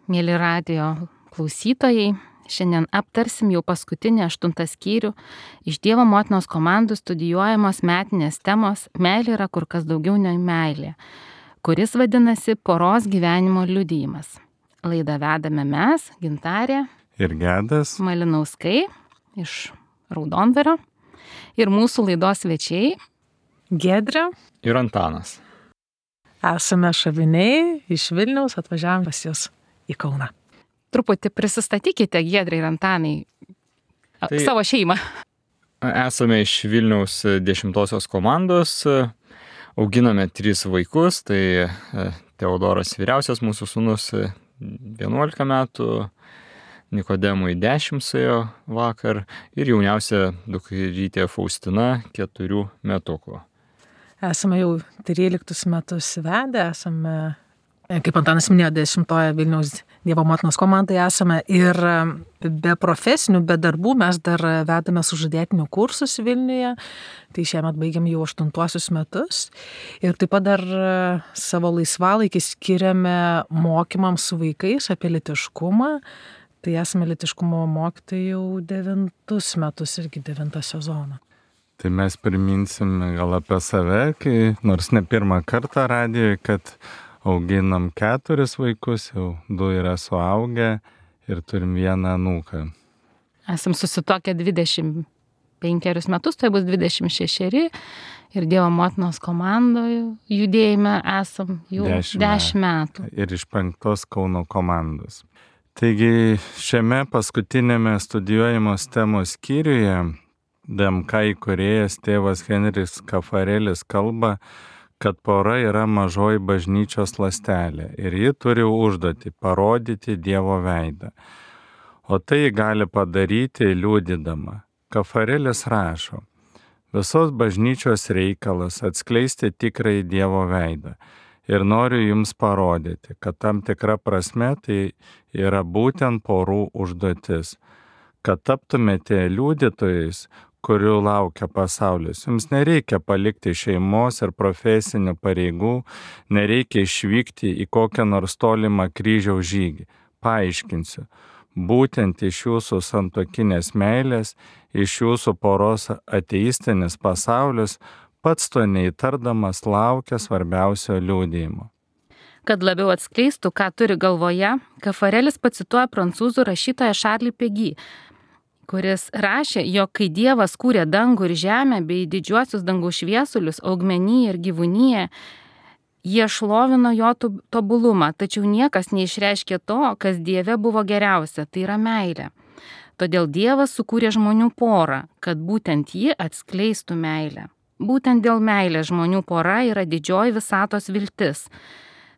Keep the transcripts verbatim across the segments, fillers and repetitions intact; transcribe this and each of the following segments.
Mėly radijo klausytojai, šiandien aptarsim jau paskutinį aštuntą skyrių iš Dievo motinos komandų studijuojamos metinės temos Meilė yra kur kas daugiau nei meilė, kuris vadinasi poros gyvenimo liudijimas. Laidą vedame mes, Gintarė ir Gedas Malinauskai iš Raudondvario ir mūsų laidos svečiai Giedrė ir Antanas. Esame šaviniai iš Vilniaus, atvažiavome pas jūs į Kauną. Truputį prisistatykite, Giedrė ir Antanai, Tai savo šeimą. Esame iš Vilniaus dešimtosios komandos, auginame tris vaikus, tai Teodoras vyriausias mūsų sūnus vienuolika metų, Nikodemui dešimt suėjo vakar ir jauniausia dukrytė Faustina keturių metukų. Esame jau tryliktus metus vedę, esame, kaip Antanas minėjo, dešimtoje Vilniaus Dievo motinos komandai esame ir be profesinių, be darbų mes dar vedame sužadėtinių kursus Vilniuje, tai šiemet baigiam jau aštuntuosius metus ir taip pat dar savo laisvalaikį skiriame mokymams su vaikais apie lytiškumą, tai esame lytiškumo mokytojai jau devintus metus irgi devintą sezoną. Tai mes priminsim gal apie save, kai nors ne pirmą kartą radijoje, kad auginam keturis vaikus, jau du yra suaugę ir turim vieną anūką. Esam susituokę dvidešimt penkerius metus, tai bus dvidešimt šešeri ir Dievo motinos komandoje judėjime esam jau dešimt metų. Ir iš penktos Kauno komandos. Taigi šiame paskutinėme studijuojamos temos skyriuje D M K įkūrėjas tėvas Henris Kafarelis kalba, kad pora yra mažoji bažnyčios ląstelė ir ji turi užduotį parodyti Dievo veidą. O tai gali padaryti liudydama. Kafarelis rašo, visos bažnyčios reikalas atskleisti tikrąjį Dievo veidą. Ir noriu jums parodyti, kad tam tikra prasme tai yra būtent porų užduotis. Kad taptumėte liudytojais, kurių laukia pasaulis. Jums nereikia palikti šeimos ir profesinių pareigų, nereikia išvykti į kokią nors tolimą kryžiaus žygį. Paaiškinsiu, būtent iš jūsų santuokinės meilės, iš jūsų poros ateistinis pasaulis, pats to neįtardamas laukia svarbiausio liudijimo. Kad labiau atskleistų, ką turi galvoje, Kafarelis pacituoja prancūzų rašytoją Charlį Péguy, kuris rašė, jog kai Dievas kūrė dangų ir žemę bei didžiuosius dangaus šviesulius, augmeniją ir gyvūniją, jie šlovino jo tobulumą, tačiau niekas neišreiškė to, kas Dieve buvo geriausia, tai yra meilė. Todėl Dievas sukūrė žmonių porą, kad būtent ji atskleistų meilę. Būtent dėl meilės žmonių pora yra didžioji visatos viltis,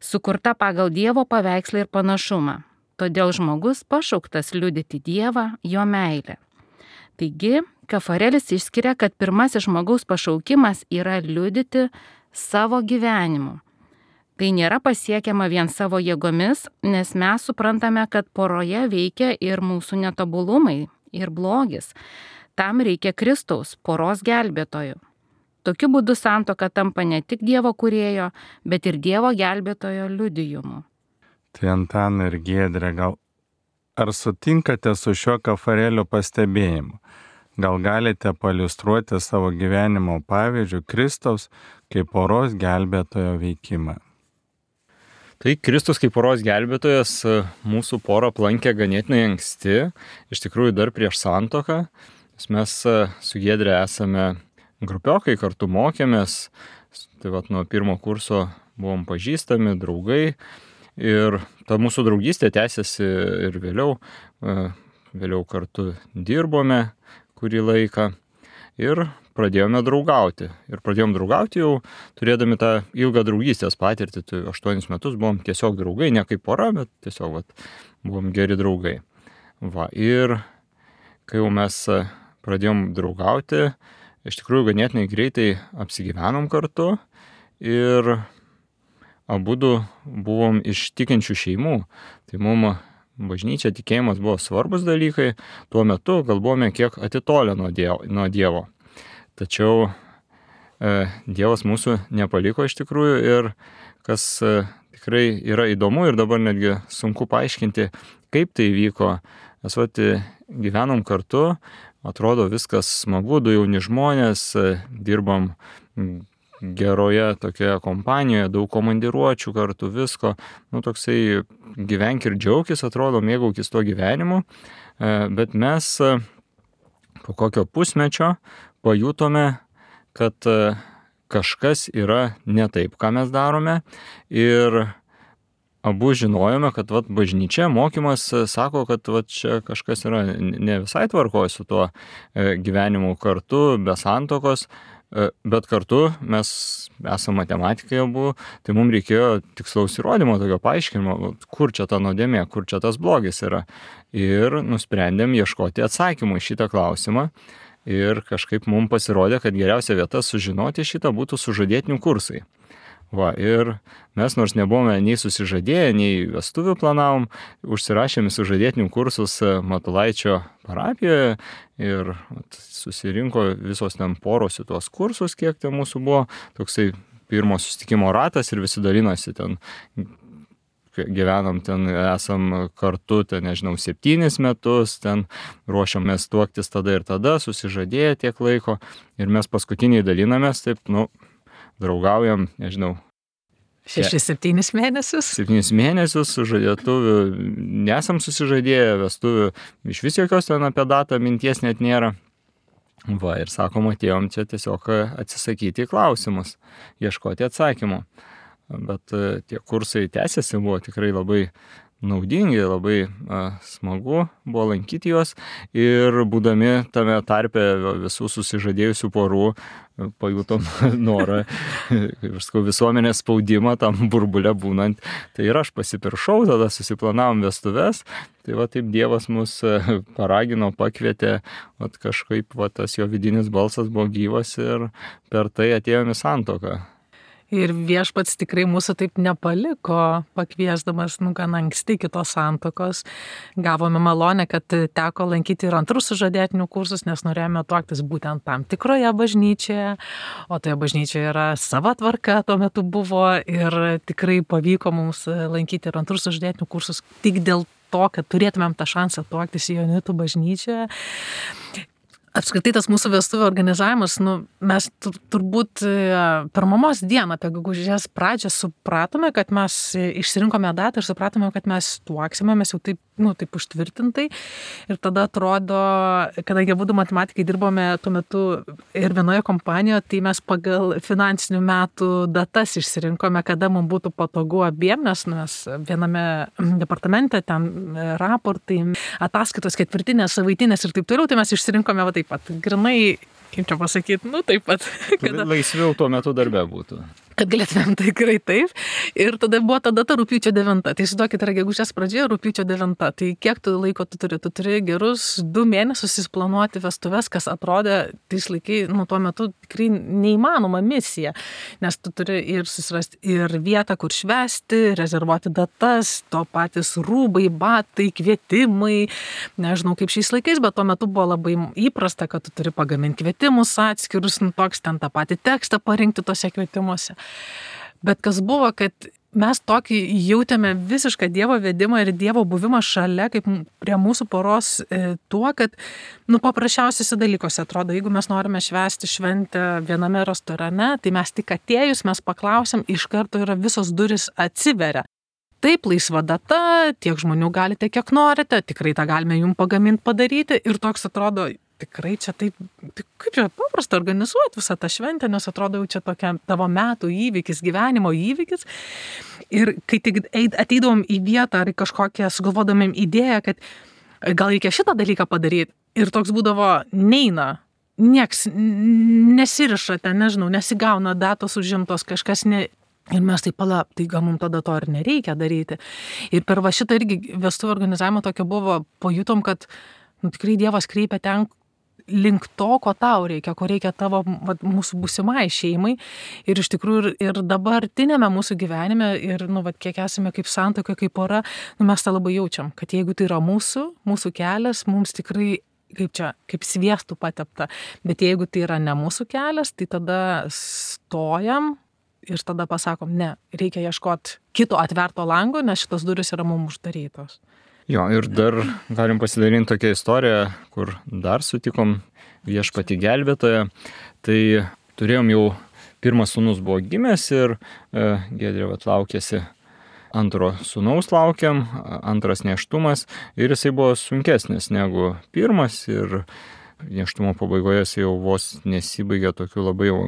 sukurta pagal Dievo paveikslą ir panašumą. Todėl žmogus pašauktas liudyti Dievą, jo meilę. Taigi, Kafarelis išskiria, kad pirmasis žmogaus pašaukimas yra liudyti savo gyvenimu. Tai nėra pasiekiama vien savo jėgomis, nes mes suprantame, kad poroje veikia ir mūsų netobulumai, ir blogis. Tam reikia Kristaus, poros gelbėtojų. Tokiu būdu santuoka tampa ne tik Dievo kūrėjo, bet ir Dievo gelbėtojo liudijimu. Tai Antanai ir Giedrė, gal ar sutinkate su šiuo Kafarelio pastebėjimu? Gal galite pailiustruoti savo gyvenimo pavyzdžių Kristaus kaip poros gelbėtojo veikimą? Tai Kristus kaip poros gelbėtojas mūsų porą aplankė ganėtinai anksti, iš tikrųjų dar prieš santuoką. Mes su Giedrė esame grupiokai, kartu mokėmės, tai vat nuo pirmo kurso buvom pažįstami, draugai. Ir ta mūsų draugystė tęsiasi ir vėliau, vėliau kartu dirbome kurį laiką ir pradėjome draugauti. Ir pradėjom draugauti jau turėdami tą ilgą draugystės patirtį, tai aštuonis metus buvom tiesiog draugai, ne kaip pora, bet tiesiog vat, buvom geri draugai. Va, ir kai jau mes pradėjom draugauti, iš tikrųjų ganėtinai greitai apsigyvenom kartu ir abudu buvom iš tikinčių šeimų, tai mums bažnyčia, tikėjimas buvo svarbus dalykai, tuo metu gal buvome kiek atitolę nuo Dievo. Nuo dievo. Tačiau e, Dievas mūsų nepaliko iš tikrųjų ir kas e, tikrai yra įdomu ir dabar netgi sunku paaiškinti, kaip tai vyko. Mes vat gyvenom kartu, atrodo viskas smagu, du jauni žmonės, dirbam geroje tokioje kompanijoje, daug komandiruočių kartu, visko. Nu, toksai gyvenk ir džiaugis, atrodo, mėgaukis tuo gyvenimu. Bet mes po kokio pusmečio pajutome, kad kažkas yra ne taip, ką mes darome. Ir abu žinojome, kad vat, bažnyčia, mokymas sako, kad vat, čia kažkas yra ne visai tvarkoje su tuo gyvenimu kartu, be santokos, bet kartu mes esame matematikai abu, tai mums reikėjo tikslaus įrodymo, tokio paaiškinimo, kur čia ta nuodėmė, kur čia tas blogis yra. Ir nusprendėm ieškoti atsakymų į šitą klausimą. Ir kažkaip mums pasirodė, kad geriausia vieta sužinoti šitą būtų sužadėtinių kursai. Va, ir mes nors nebuvome nei susižadėję, nei vestuvių planavom, užsirašėme sužadėtinių kursus Matulaičio parapijoje ir susirinko visos ten poros į tuos kursus, kiek ten mūsų buvo, toksai pirmo susitikimo ratas ir visi dalinosi ten, gyvenam ten, esam kartu, ten, nežinau, septynis metus, ten ruošiamės tuoktis tada ir tada, susižadėję tiek laiko ir mes paskutiniai dalinamės, taip, nu, draugaujam, nežinau. Šešis, septynis mėnesius. Septynis mėnesius, sužadėtuvių nesam susižadėję, vestuvių iš vis jokios ten apie datą minties net nėra. Va, ir sakom, atėjom čia tiesiog atsisakyti į klausimus, ieškoti atsakymų. Bet tie kursai tęsiasi, buvo tikrai labai naudingi, labai a, smagu buvo lankyti juos ir būdami tame tarpe visų susižadėjusių porų pajutom norą, kaip aš sakau, visuomenės spaudimą tam burbule būnant. Tai ir aš pasipiršau, tada susiplanavom vestuves, tai va taip Dievas mus paragino, pakvietė, va kažkaip va tas jo vidinis balsas buvo gyvas ir per tai atėjome į santuoką. Ir viešpats tikrai mūsų taip nepaliko, pakviesdamas, nu, gan anksti kitos santokos. Gavome malonę, kad teko lankyti ir antrus sužadėtinių kursus, nes norėjome tuoktis būtent tam tikroje bažnyčioje, o toje bažnyčioje yra sava tvarka, tuo metu buvo ir tikrai pavyko mums lankyti ir antrus sužadėtinių kursus tik dėl to, kad turėtumėm tą šansą tuoktis Joanitų bažnyčioje. Apskritai tas mūsų vestuvių organizavimas, nu, mes tur, turbūt per mamos dieną apie gegužės pradžią supratome, kad mes išsirinkome datą ir supratome, kad mes tuoksime, mes jau taip, nu, taip užtvirtintai. Ir tada atrodo, kadangi abudu matematikai dirbome tuo metu ir vienoje kompanijoje, tai mes pagal finansinių metų datas išsirinkome, kada mums būtų patogu abiem, nes mes viename departamente, ten raportai, ataskaitos ketvirtinės, savaitinės ir taip toliau, tai mes išsirinkome va taip pat, grinai, kaip čia pasakyti, nu taip pat. Kada laisviau tuo metu darbe būtų. Kad galėtumėm tikrai taip. Ir tada buvo ta data rugpjūčio devinta. Tai įsivaizduokit, yra gegužės pradžia, rugpjūčio devinta. Tai kiek tu laiko tu turi? Tu turi gerus du mėnesius susiplanuoti vestuves, kas atrodė tais laikai, nu tuo metu tikrai neįmanoma misija. Nes tu turi ir susirasti ir vietą, kur švęsti, rezervuoti datas, to patys rūbai, batai, kvietimai. Nežinau kaip šiais laikais, bet tuo metu buvo labai įprasta, kad tu turi pagaminti kvietimus atskirus, nu toks ten tą patį tekstą parinkti tose kvietimuose. Bet kas buvo, kad mes tokį jautėme visišką Dievo vedimą ir Dievo buvimą šalia, kaip prie mūsų poros e, tuo, kad, nu, paprasčiausiuose dalykuose atrodo, jeigu mes norime švęsti šventę viename restorane, tai mes tik atėjus, mes paklausim, iš karto yra visos duris atsiveria. Taip, laisva data, tiek žmonių galite, kiek norite, tikrai tą galime jums pagaminti, padaryti ir toks atrodo, tikrai čia taip, tai kaip čia paprasta organizuoti visą tą šventę, nes atrodo jau čia tokia tavo metų įvykis, gyvenimo įvykis. Ir kai tik ateidavom į vietą ar kažkokią sugalvodamėm idėją, kad gal reikia šitą dalyką padaryti ir toks būdavo neina, nieks nesiriša ten, nežinau, nesigauna datos užimtos, kažkas ne... Ir mes taip palap, tai gal mums tada to ir nereikia daryti. Ir per va šitą irgi vestuvių organizavimą tokio buvo, pajutom, kad nu, tikrai Dievas kreipia ten link to, ko tau reikia, ko reikia tavo va, mūsų būsimai šeimai. Ir iš tikrųjų ir, ir dabartinėme mūsų gyvenime, ir nu, va, kiek esame kaip santuoka, kaip pora, nu, mes tą labai jaučiam, kad jeigu tai yra mūsų, mūsų kelias, mums tikrai kaip čia, kaip sviestų patepta. Bet jeigu tai yra ne mūsų kelias, tai tada stojam ir tada pasakom, ne, reikia ieškoti kito atverto lango, nes šitos durys yra mums uždarytos. Jo, ir dar galim pasidalinti tokią istoriją, kur dar sutikom viešpatį gelbėtoją. Tai turėjom jau, pirmas sūnus buvo gimęs ir e, Giedrė vat laukėsi antro sūnaus laukiam, antras nėštumas ir jisai buvo sunkesnis negu pirmas ir nėštumo pabaigoje jis jau vos nesibaigė tokiu labai jau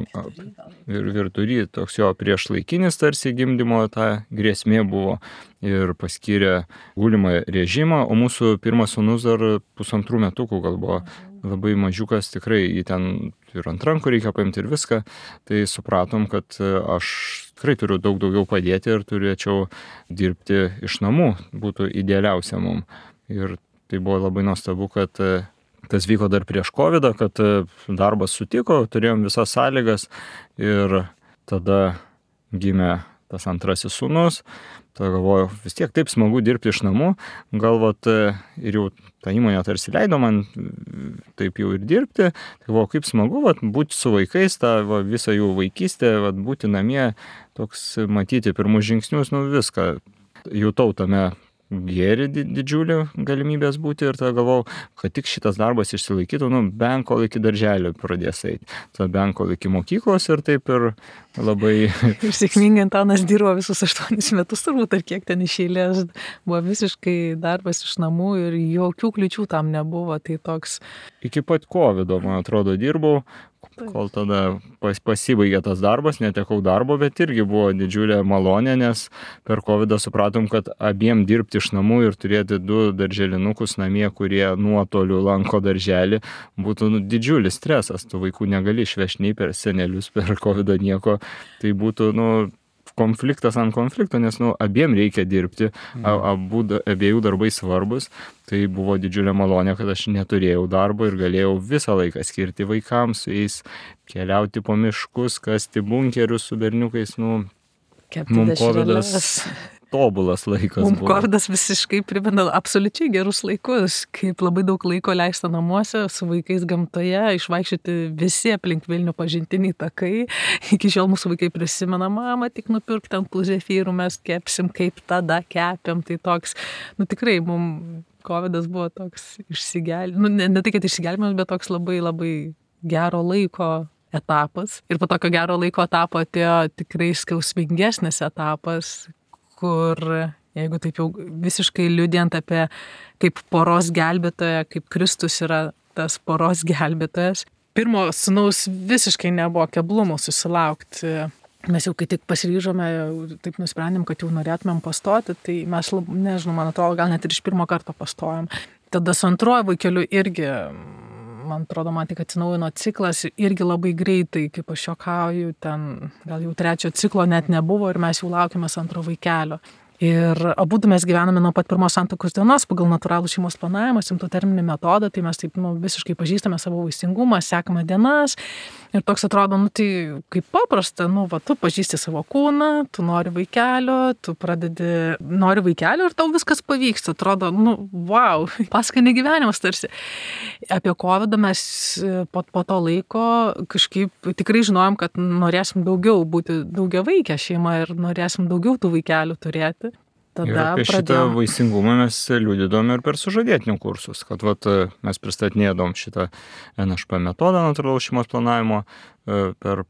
ir virtury, toks jo priešlaikinis tarsi gimdymo ta grėsmė buvo ir paskyrė gulimą režimą, o mūsų pirmas sūnus dar pusantrų metukų gal buvo labai mažiukas, tikrai jį ten ir ant rankų reikia paimti ir viską, tai supratom, kad aš tikrai turiu daug daugiau padėti ir turėčiau dirbti iš namų, būtų idealiausia mum. Ir tai buvo labai nuostabu, kad tas vyko dar prieš kovidą, kad darbas sutiko, turėjom visas sąlygas ir tada gimė tas antrasis sūnus. Tada galvoju, vis tiek taip smagu dirbti iš namų, galvot ir jau ta įmonė tarsi leido man taip jau ir dirbti. Tai galvoju, kaip smagu vat, būti su vaikais, tą va, visą jų vaikystę, vat, būti namie, toks matyti pirmus žingsnius, nu viską. Jutau tame gėrį didžiulį galimybės būti ir tada galvojau, kad tik šitas darbas išsilaikytų, nu, bent kol iki darželio pradės eiti. Tada bent kol iki mokyklos ir taip ir labai... Ir sėkmingai Antanas dirbo visus aštuonis metus turbūt, ar kiek ten iš eilės, buvo visiškai darbas iš namų ir jokių kliučių tam nebuvo, tai toks... Iki pat kovido, man atrodo, dirbau, kol tada pas, pasibaigė tas darbas, netekau darbo, bet irgi buvo didžiulė malonė, nes per kovidą supratom, kad abiem dirbti iš namų ir turėti du darželinukus namie, kurie nuotoliu lanko darželį, būtų nu, didžiulis stresas, tu vaikų negali išvežti nei per senelius, per kovidą nieko, tai būtų nu, konfliktas ant konflikto, nes nu, abiem reikia dirbti, abu, abiejų darbai svarbus, tai buvo didžiulė malonė, kad aš neturėjau darbo ir galėjau visą laiką skirti vaikams, su jais keliauti po miškus, kasti bunkerius su berniukais, nu, mums kovidas tobulas laikas Mums buvo. kovidas visiškai primena absoliučiai gerus laikus, kaip labai daug laiko leista namuose, su vaikais gamtoje, išvaikščioti visi aplink Vilnių pažintiniai takai. Iki šiol mūsų vaikai prisimena, mama, tik nupirkti ant tų zefyrų, mes kepsim, kaip tada kepiam, tai toks, nu tikrai, mums kovidas buvo toks išsigelbėjimas, nu ne, ne tai, kad išsigelbėjimas, bet toks labai labai gero laiko etapas. Ir po tokio gero laiko etapo atėjo tikrai skausmingesnis etapas, kur, jeigu taip jau visiškai liudijant apie kaip poros gelbėtoją, kaip Kristus yra tas poros gelbėtojas. Pirmo sūnaus visiškai nebuvo keblumų susilaukti. Mes jau kai tik pasiryžome, taip nusprendėm, kad jau norėtumėm pastoti, tai mes, nežinau, man atrodo, gal net ir iš pirmo karto pastojom. Tada su antruoju vaikeliu irgi, man atrodo, man tik atsinaujino ciklas irgi labai greitai, kaip aš juokauju, ten gal jau trečio ciklo net nebuvo ir mes jau laukėmės antro vaikelio. Ir abudu mes gyvename nuo pat pirmos santuokos dienos pagal natūralų šeimos planavimą, simptoterminį metodą, tai mes taip nu, visiškai pažįstame savo vaisingumą, sekame dienas. Ir toks atrodo, nu tai kaip paprasta, nu va, tu pažįsti savo kūną, tu nori vaikelio, tu pradedi, nori vaikelio ir tau viskas pavyksta. Atrodo, nu, wow, paskanė gyvenimas tarsi. Apie kovidą mes po, po to laiko kažkaip tikrai žinojom, kad norėsim daugiau būti daugiavaikė šeima ir norėsim daugiau tų vaikelių turėti. Tada ir apie pradėjom. šitą vaisingumą mes liudydom ir per sužadėtinių kursus, kad vat, mes pristatinėdom šitą N H P metodą natūralaus šeimos planavimo per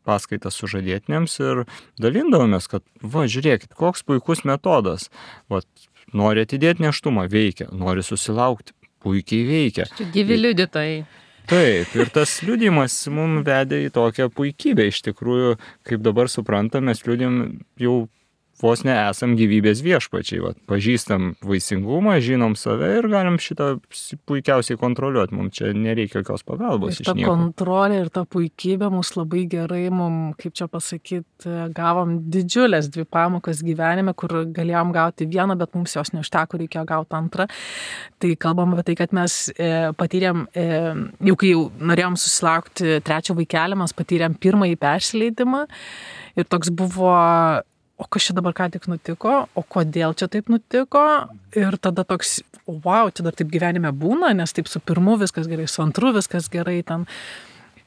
paskaitas sužadėtiniams ir dalindavomės, kad va, žiūrėkit, koks puikus metodas. Vat, nori atidėti nėštumą, veikia, nori susilaukti, puikiai veikia. Gyvi liudytojai. Taip, ir tas liudijimas mums vedė į tokią puikybę. Iš tikrųjų, kaip dabar suprantam, mes liudijam jau vos nesam gyvybės viešpačiai. Vat, pažįstam vaisingumą, žinom save ir galim šitą puikiausiai kontroliuoti. Mums čia nereikia jokios pagalbos. Ir ta kontrolė ir ta puikybė mus labai gerai, mums, kaip čia pasakyti, gavom didžiulės dvi pamokas gyvenime, kur galėjom gauti vieną, bet mums jos neužteko, reikėjo gauti antrą. Tai kalbam apie tai, kad mes e, patyrėm, e, jau kai jau norėjom susilaukti trečio vaikelį, mes patyrėm pirmąjį persileidimą ir toks buvo... O kas čia dabar ką tik nutiko, o kodėl čia taip nutiko ir tada toks, wow, čia dar taip gyvenime būna, nes taip su pirmu viskas gerai, su antru viskas gerai ten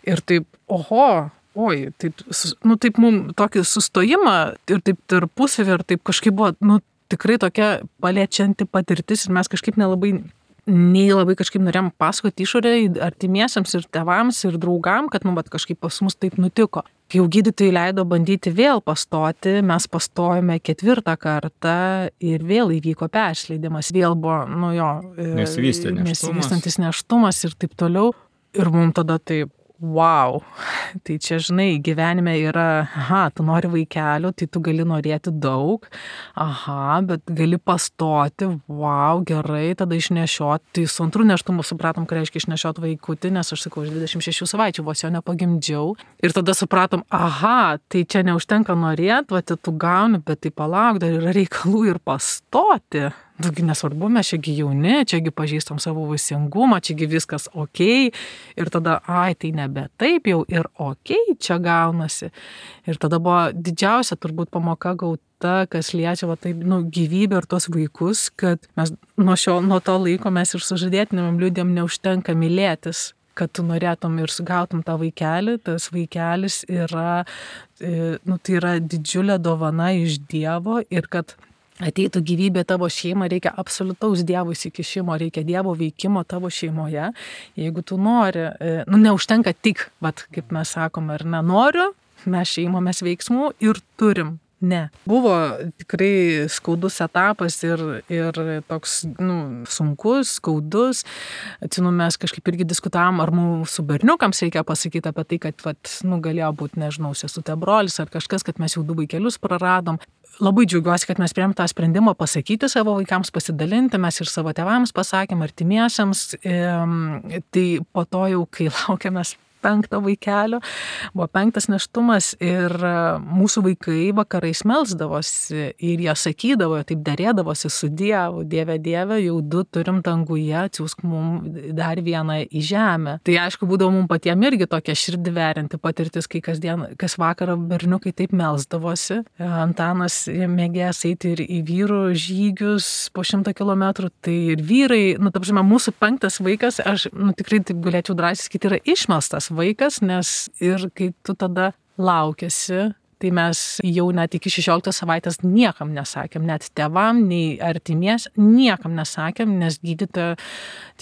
ir taip, oho, oi, taip, nu, taip mums tokį sustojimą ir taip tarpusavį ir taip kažkaip buvo, nu, tikrai tokia paliečianti patirtis ir mes kažkaip nelabai, nei labai kažkaip norėjom pasakoti išorę artimiesiams ir tėvams ir draugam, kad, nu, bet kažkaip pas mus taip nutiko. Kai jau gydytojai leido bandyti vėl pastoti, mes pastojome ketvirtą kartą ir vėl įvyko persileidimas. Vėl buvo, nu jo, Nesivystė nėštumas. nesivystantis nėštumas ir taip toliau. Ir mums tada taip, wow, tai čia, žinai, gyvenime yra, aha, tu nori vaikelio, tai tu gali norėti daug, aha, bet gali pastoti, wow, gerai, tada išnešiot, tai su antru nėštumu supratom, ką reiškia išnešiot vaikutį, nes aš sakau, aš dvidešimt šešių savaičių vos jo nepagimdžiau, ir tada supratom, aha, tai čia neužtenka norėt, va, tu gauni, bet tai palauk, dar yra reikalų ir pastoti. Tugi nesvarbu, mes čiagi jauni, čiagi pažįstam savo vaisingumą, čiagi viskas okei. Ir tada, ai, tai nebe taip jau ir okei čia gaunasi. Ir tada buvo didžiausia turbūt pamoka gauta, kas liečia va, taip, nu, gyvybę ir tos vaikus, kad mes nuo, šio, nuo to laiko mes ir sužadėtinėm liūdėm neužtenka mylėtis, kad tu norėtum ir sugautum tą vaikelį, tas vaikelis yra, nu, tai yra didžiulė dovana iš Dievo ir kad ateitų gyvybė tavo šeimą, reikia absoliutaus Dievo įsikišimo, reikia Dievo veikimo tavo šeimoje. Jeigu tu nori, nu neužtenka tik, vat, kaip mes sakome, ar nenoriu, mes šeimomės veiksmų ir turim. Ne. Buvo tikrai skaudus etapas ir, ir toks, nu, sunkus, skaudus. Atsimenu, mes kažkaip irgi diskutavom, ar mūsų berniukams reikia pasakyti apie tai, kad, vat, nu, galėjo būti, nežinau, sesutė brolis ar kažkas, kad mes jau du vaikelius praradom. Labai džiaugiuosi, kad mes priėmėm tą sprendimą pasakyti savo vaikams, pasidalinti, mes ir savo tėvams pasakėm, artimiesiams. E, tai po to jau, kai laukiamės penkto vaikelio, buvo penktas nėštumas ir mūsų vaikai vakarais melsdavosi ir jie sakydavo, taip derėdavosi su Dievu, Dieve, Dieve, jau du turim danguje, atsiųsk mum dar vieną į žemę. Tai aišku, būdavo mum patiem irgi tokia širdį verinti patirtis, kai kasdien, kas vakarą berniukai taip melsdavosi. Antanas mėgės eiti ir į vyrų žygius po šimtą kilometrų, tai ir vyrai, nu, ta prasme, mūsų penktas vaikas, aš, nu, tikrai taip galėčiau drąsiai sakyti, yra išmelstas vaikas, nes ir kai tu tada laukiasi, tai mes jau net iki šešioliktos savaitės niekam nesakėm, net tėvam, nei artimies, niekam nesakėm, nes gydytoja,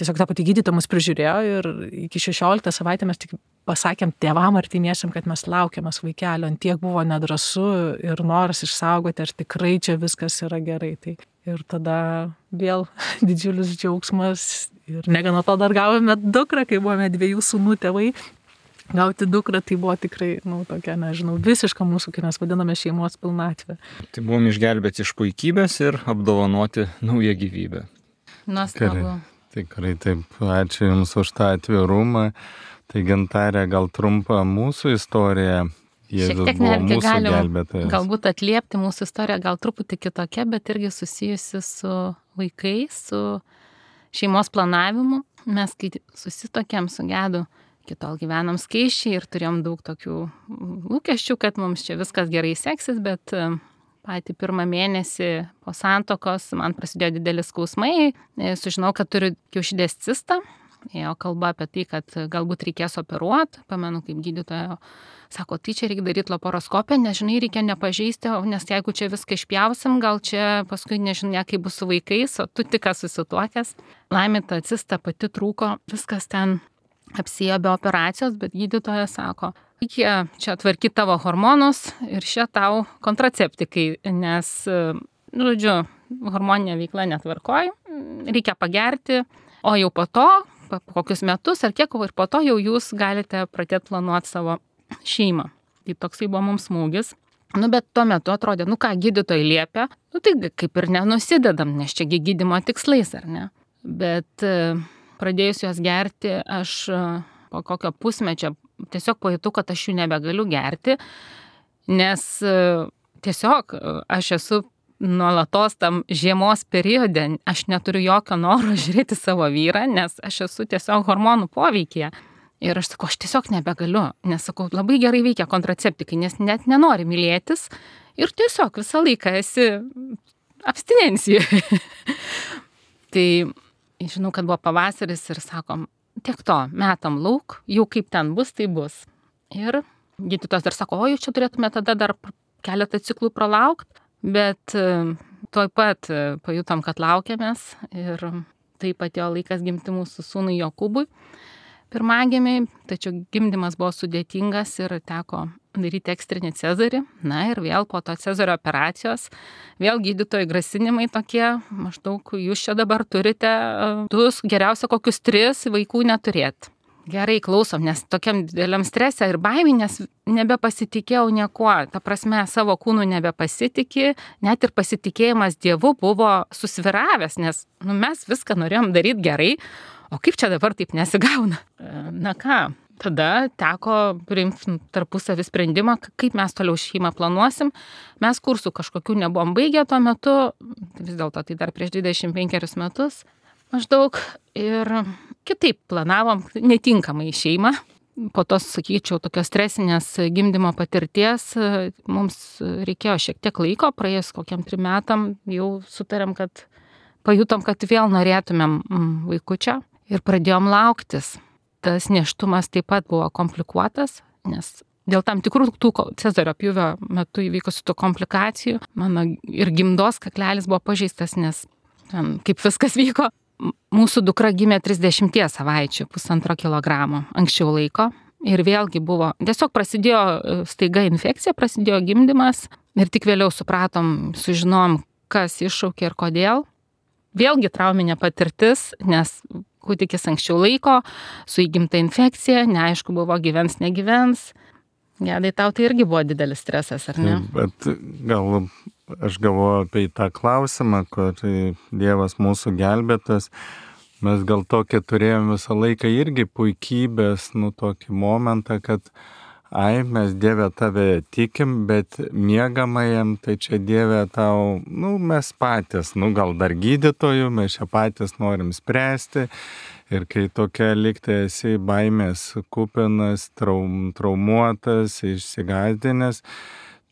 tiesiog ta pati gydytoja mus prižiūrėjo ir iki šešioliktą savaitę mes tik pasakėm tėvam artimiesiam, kad mes laukiamės vaikelio, ant tiek buvo nedrąsu ir noras išsaugoti, ar tikrai čia viskas yra gerai. Tai ir tada vėl didžiulis džiaugsmas ir negana to dar gavome dukrą, kai buvome dviejų sūnų tėvai. Gauti dukrą tai buvo tikrai, nu, tokia, nežinau, visiška mūsų, kai mes vadiname šeimos pilnatvė. Tai buvom išgelbėti iš puikybės ir apdovanoti naują gyvybę. Nuostabu. Tikrai taip, ačiū Jums už tą atvirumą. Tai Gintarė, gal trumpa mūsų istorija. Jėzus šiek tiek netgi galim galbūt atliepti mūsų istoriją, gal truputį kitokia, bet irgi susijusi su vaikais, su šeimos planavimu. Mes, kai susitokėm su Gedu, kitol gyvenom skaičiai ir turėjom daug tokių lūkesčių, kad mums čia viskas gerai seksis, bet patį pirmą mėnesį po santuokos man prasidėjo didelis skausmai, sužinau, kad turiu kiaušidės cistą, ėjo kalba apie tai, kad galbūt reikės operuoti, pamenu kaip gydytoja sako, tai čia reikia daryti laparoskopiją, nes žinai, reikia nepažeisti, nes jeigu čia viską išpjausim, gal čia paskui nežinia, kaip bus su vaikais, o tu tik susituokęs. Laimė ta cista pati trūko, viskas ten apsiėjo be operacijos, bet gydytoja sako, reikia čia tvarkyti tavo hormonus ir šia tau kontraceptikai, nes, žodžiu, hormoninė veikla netvarkoj, reikia pagerti, o jau po to, po kokius metus ar kiek, ir po to jau jūs galite pradėti planuoti savo šeimą. Tai toksai buvo mums smūgis. Nu, bet tuo metu atrodė, nu ką, gydytojai liepia, nu tai kaip ir nenusidedam, nes čia gydymo tikslais, ar ne? Bet pradėjus juos gerti, aš po kokio pusmečio tiesiog pajutau, kad aš jų nebegaliu gerti, nes tiesiog aš esu nuolatos tam žiemos periode, aš neturiu jokio noro žiūrėti savo vyrą, nes aš esu tiesiog hormonų poveikyje. Ir aš sakau, aš tiesiog nebegaliu, nes sakau, labai gerai veikia kontraceptikai, nes net nenori mylėtis ir tiesiog visą laiką esi abstinencijoje. Tai žinau, kad buvo pavasaris ir sakom, tiek to, metam lauk, jau kaip ten bus, tai bus. Ir gydytojas dar sako, o jūs čia turėtume tada dar keletą ciklų pralaukti, bet tuoj pat pajutom, kad laukiamės ir taip atėjo laikas gimti mūsų sūnui Jokūbui pirmagimiai, tačiau gimdymas buvo sudėtingas ir teko daryti ekstrinį cezarį. Na ir vėl po to cezario operacijos, vėl gydytojų grasinimai tokie, maždaug jūs čia dabar turite, tu geriausia kokius tris vaikų neturėti. Gerai, klausom, nes tokiam dideliam stresė ir baimė, nes nebepasitikėjau niekuo, ta prasme savo kūnų nebepasitikė, net ir pasitikėjimas Dievu buvo susviravęs, nes nu, mes viską norėjom daryti gerai, o kaip čia dabar taip nesigauna? Na ką, tada teko priimti tarpusavį sprendimą, kaip mes toliau šeimą planuosim. Mes kursų kažkokių nebuvom baigę tuo metu, vis dėlto tai dar prieš dvidešimt penkerius metus maždaug, ir kitaip planavom, netinkamai šeimą. Po tos, sakyčiau, tokios stresinės gimdymo patirties mums reikėjo šiek tiek laiko, praėjus kokiam trim metam jau sutarėm, kad pajutom, kad vėl norėtumėm vaikučio ir pradėjom lauktis. Tas nėštumas taip pat buvo komplikuotas, nes dėl tam tikrų tų cezario pjūvio metu įvykusių tų komplikacijų mano ir gimdos kaklelis buvo pažeistas, nes ten, kaip viskas vyko. Mūsų dukra gimė trisdešimties savaičių, pusantro kilogramo anksčiau laiko. Ir vėlgi buvo, tiesiog prasidėjo staiga infekcija, prasidėjo gimdymas ir tik vėliau supratom, sužinom, kas iššaukė ir kodėl. Vėlgi trauminė patirtis, nes kūdikis anksčiau laiko, su įgimta infekcija, neaišku buvo gyvens, negyvens. Gedai, tau tai irgi buvo didelis stresas, ar ne? Bet gal aš galvoju apie tą klausimą, kur Dievas mūsų gelbėtas. Mes gal tokį turėjom visą laiką irgi puikybės, nu tokį momentą, kad ai, mes Dieve tave tikim, bet miegamajam, tai čia Dieve tau, nu mes patys, nu gal dar gydytojų, mes čia patys norim spręsti. Ir kai tokia liktai esi baimės kupinas, traum, traumuotas, išsigąsdinęs,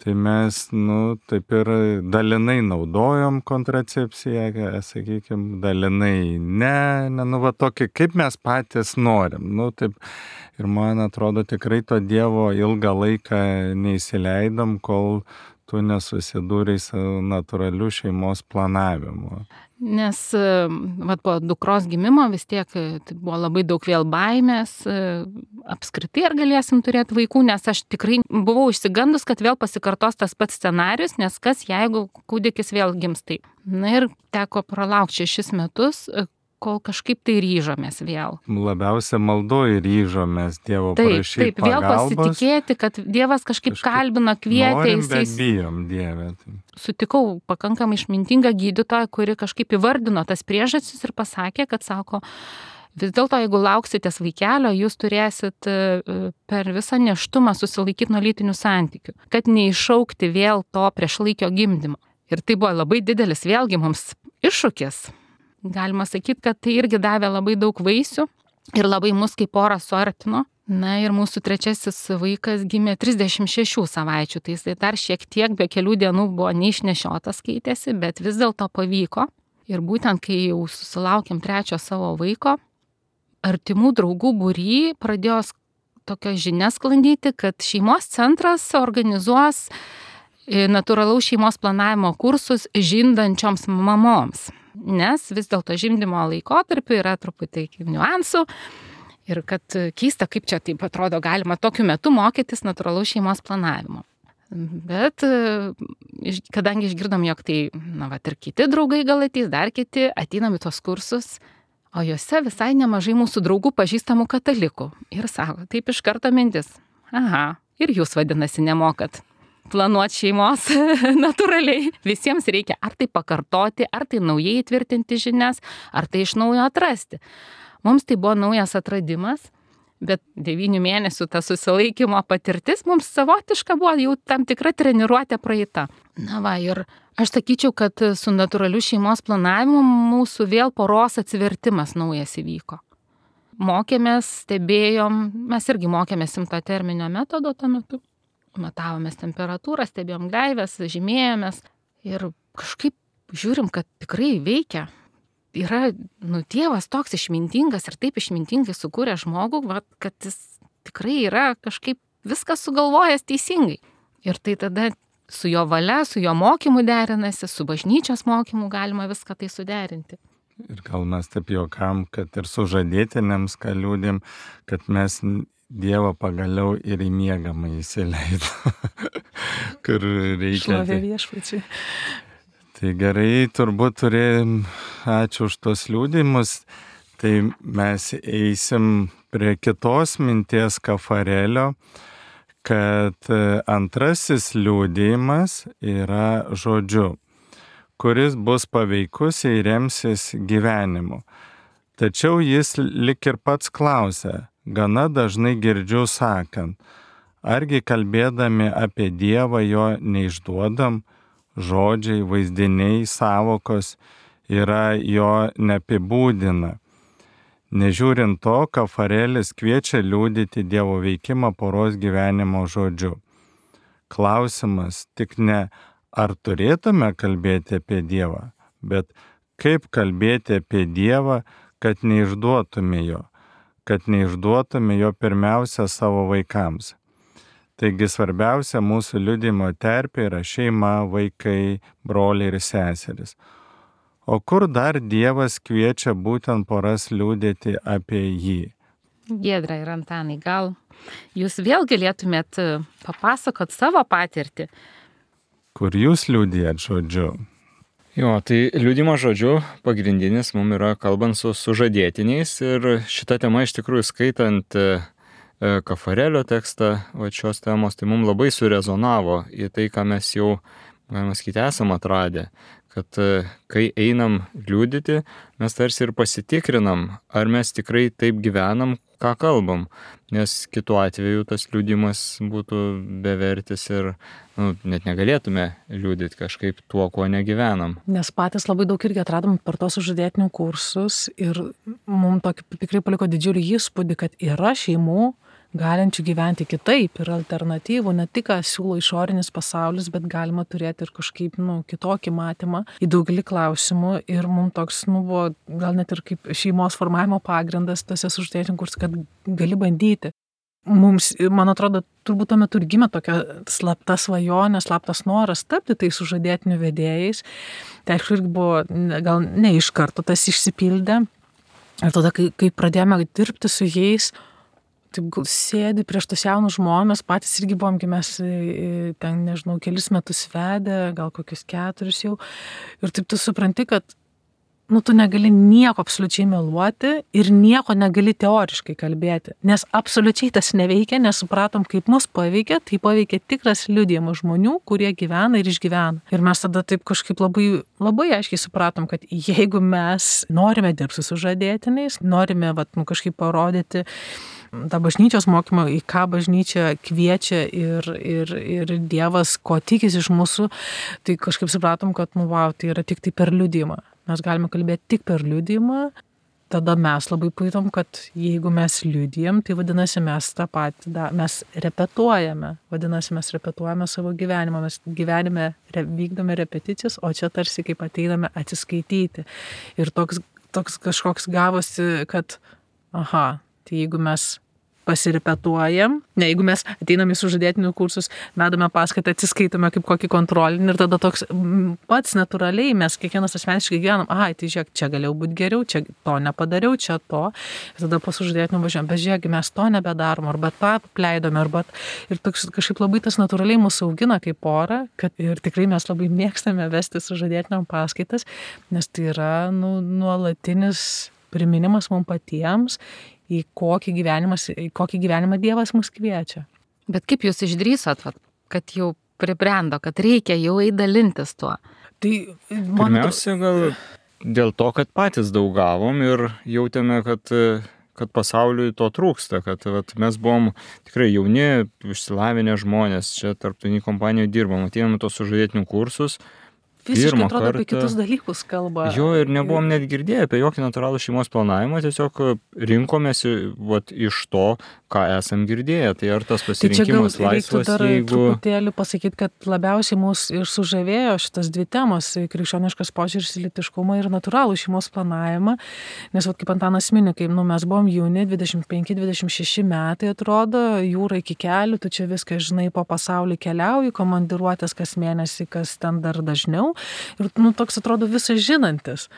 tai mes, nu, taip ir dalinai naudojom kontracepciją, sakykime, dalinai ne, ne, nu, va tokį, kaip mes patys norim, nu, taip. Ir man atrodo, tikrai to Dievo ilgą laiką neįsileidom, kol tu nesusidūrei su natūraliu šeimos planavimu. Nes vat, po dukros gimimo vis tiek tai buvo labai daug vėl baimės, apskritai ar galėsim turėti vaikų, nes aš tikrai buvau išsigandus, kad vėl pasikartos tas pats scenarius, nes kas jeigu kūdikis vėl gims taip. Na ir teko pralaukti šešis metus, kol kažkaip tai ryžomės vėl. Labiausia maldoje ryžomės Dievo taip, prašyti taip, vėl pagalbos. Pasitikėti, kad Dievas kažkaip, kažkaip kalbino, kvietė. Norim, bet bijom Dieve. Sutikau pakankamai išmintingą gydytoją, kuri kažkaip įvardino tas priežastis ir pasakė, kad sako, vis dėlto, jeigu lauksitės vaikelio, jūs turėsit per visą nėštumą susilaikyti nuo lytinių santykių, kad neiššaukti vėl to priešlaikio gimdymo. Ir tai buvo labai didelis vėlgi mums iššūkis. Galima sakyti, kad tai irgi davė labai daug vaisių ir labai mus kaip porą suartino. Na ir mūsų trečiasis vaikas gimė trisdešimt šešių savaičių, tai jis dar šiek tiek be kelių dienų buvo neišnešiotas keitėsi, bet vis dėlto pavyko. Ir būtent kai jau susilaukėm trečio savo vaiko, artimų draugų būry pradėjo tokią žinią sklandyti, kad šeimos centras organizuos natūralaus šeimos planavimo kursus žindančioms mamoms. Nes vis dėlto žimdymo laikotarpiu yra truputį niuansų ir kad keista, kaip čia taip atrodo galima tokiu metu mokytis natūralaus šeimos planavimo. Bet kadangi išgirdom, jog tai, na, va, ir kiti draugai gal ateis, dar kiti ateinam į tos kursus, o juose visai nemažai mūsų draugų pažįstamų katalikų. Ir sako, taip iš karto mintis, aha, ir jūs vadinasi nemokat planuoti šeimos natūraliai. Visiems reikia ar tai pakartoti, ar tai naujai įtvirtinti žinias, ar tai iš naujo atrasti. Mums tai buvo naujas atradimas, bet devynių mėnesių ta susilaikymo patirtis mums savotiška buvo jau tam tikra treniruotė praeita. Na va, ir aš sakyčiau, kad su natūraliu šeimos planavimu mūsų vėl poros atsivertimas naujas įvyko. Mokėmės, stebėjom, mes irgi mokėmės simtoterminio metodo tuo metu. Matavomės temperatūrą, stebėjom gleivės, žymėjomės ir kažkaip žiūrim, kad tikrai veikia. Yra, nu, Dievas toks išmintingas ir taip išmintingai sukūrė žmogų, va, kad jis tikrai yra kažkaip viskas sugalvojęs teisingai. Ir tai tada su jo valia, su jo mokymu derinasi, su bažnyčios mokymu galima viską tai suderinti. Ir gal mes taip juokam, kad ir sužadėtiniams, ką liūdėm, kad mes Dievą pagaliau ir į miegamą įsileido, kur reikia. Šlovė viešpačiui. Tai gerai, turbūt turėjom, ačiū už tos liūdimus, tai mes eisim prie kitos minties Kafarelio, kad antrasis liūdimas yra žodžiu, kuris bus paveikus ir remsis gyvenimu. Tačiau jis lik ir pats klausia, gana dažnai girdžiu sakant, argi kalbėdami apie Dievą jo neišduodam, žodžiai, vaizdiniai, sąvokos yra jo neapibūdina. Nežiūrint to, Kafarelis kviečia liudyti Dievo veikimą poros gyvenimo žodžiu. Klausimas tik ne, ar turėtume kalbėti apie Dievą, bet kaip kalbėti apie Dievą, kad neišduotume jo, kad neišduotume jo pirmiausia savo vaikams. Taigi svarbiausia mūsų liudijimo terpė yra šeima, vaikai, broliai ir seserys. O kur dar Dievas kviečia būtent poras liudyti apie jį? Giedra ir Antanai, gal jūs vėl galėtumėt papasakot savo patirtį? Kur jūs liudijat žodžiu? Jo, tai liudimo žodžiu pagrindinis mums yra kalbant su sužadėtiniais ir šita tema iš tikrųjų skaitant Kafarelio tekstą va, šios temos, tai mums labai surezonavo į tai, ką mes jau, galima sakyti, esam atradę, kad kai einam liudyti, mes tarsi ir pasitikrinam, ar mes tikrai taip gyvenam, ką kalbam, nes kitu atveju tas liudimas būtų bevertis ir nu, net negalėtume liudyti kažkaip tuo, kuo negyvenam. Nes patys labai daug irgi atradom per tos sužadėtinių kursus ir mums tokį tikrai paliko didžiulį įspūdį, kad yra šeimų galinčių gyventi kitaip ir alternatyvų, ne tik ką siūlo išorinis pasaulis, bet galima turėti ir kažkaip nu, kitokį matymą į daugelį klausimų ir mums toks nu, buvo gal net ir kaip šeimos formavimo pagrindas tose sužadėtinių kursų, kad gali bandyti. Mums, man atrodo, turbūt tuo metu ir gimė tokia slapta svajonė, slaptas noras tapti tai sužadėtinių vedėjais. Tai aišku, irgi buvo gal ne iš karto tas išsipildė. Ir tada, kai, kai pradėjome dirbti su jais, taip sėdi prieš tos jaunus žmonės, patys irgi buvom, kai mes ten, nežinau, kelis metus vedę, gal kokius keturis jau. Ir taip tu supranti, kad nu, tu negali nieko absoliučiai meluoti ir nieko negali teoriškai kalbėti. Nes absoliučiai tas neveikia, nes supratom, kaip mus paveikia, tai paveikia tikras liudijimas žmonių, kurie gyvena ir išgyvena. Ir mes tada taip kažkaip labai, labai aiškiai supratom, kad jeigu mes norime dirbti su sužadėtiniais, norime vat, nu, kažkaip parodyti tą bažnyčios mokymą, į ką bažnyčia kviečia ir, ir, ir Dievas, ko tikisi iš mūsų, tai kažkaip supratom, kad nu, wow, tai yra tik tai per liudijimą. Mes galime kalbėti tik per liudijimą, tada mes labai pajutome, kad jeigu mes liudijam, tai vadinasi mes tą patį, da, mes repetuojame, vadinasi mes repetuojame savo gyvenimą, mes gyvenime re, vykdome repeticijas, o čia tarsi kaip ateiname atsiskaityti. Ir toks, toks kažkoks gavosi, kad aha, tai jeigu mes pasirepetuojam, ne, jeigu mes ateinam į sužadėtinių kursus, vedame paskaitą, atsiskaitome kaip kokį kontrolinį ir tada toks pats natūraliai mes kiekvienas asmeniškai gyvenam, aha, tai žiūrėk, čia galėjau būti geriau, čia to nepadariau, čia to. Ir tada po sužadėtinių važiuojam, bet žiūrėk, mes to nebedarom, arba tą pleidome, arba ir toks kažkaip labai tas natūraliai mūsų augina kaip porą, kad ir tikrai mes labai mėgstame vesti sužadėtiniam paskaitas, nes tai yra nu, nuolatinis priminimas mums patiems, į kokį, į kokį gyvenimą Dievas mus kviečia. Bet kaip jūs išdrįsot, kad jau pribrendo, kad reikia jau eidalintis tuo? Tai, man... Pirmiausia, gal dėl to, kad patys daug gavom ir jautėme, kad, kad pasauliui to trūksta, kad vat, mes buvom tikrai jauni, išsilavinę žmonės, čia tarptautinį kompaniją dirbom, atėjome tos sužadėtinių kursus. Visiškai atrodo kartą, apie kitus dalykus kalba. Jo, ir nebuvom net girdėję apie jokį natūralų šeimos planavimą, tiesiog rinkomės vat, iš to, ką esam girdėję. Tai ar tas Tai čia gal pasirinkimas reiktų laisvas, dar jeigu... truputėlį pasakyti, kad labiausiai mus ir sužavėjo šitas dvi temos - krikščioniškas požiūris į lytiškumą ir natūralų šeimos planavimą. Nes, vat, kaip Antanas mini, kai nu, mes buvom jauni, dvidešimt penki dvidešimt šeši metai atrodo, jūra iki kelių, tu čia viską žinai, po pasaulį keliauji, komandiruotės kas mėnesį, kas ten dar dažniau. Ir nu, toks atrodo visas žinantis.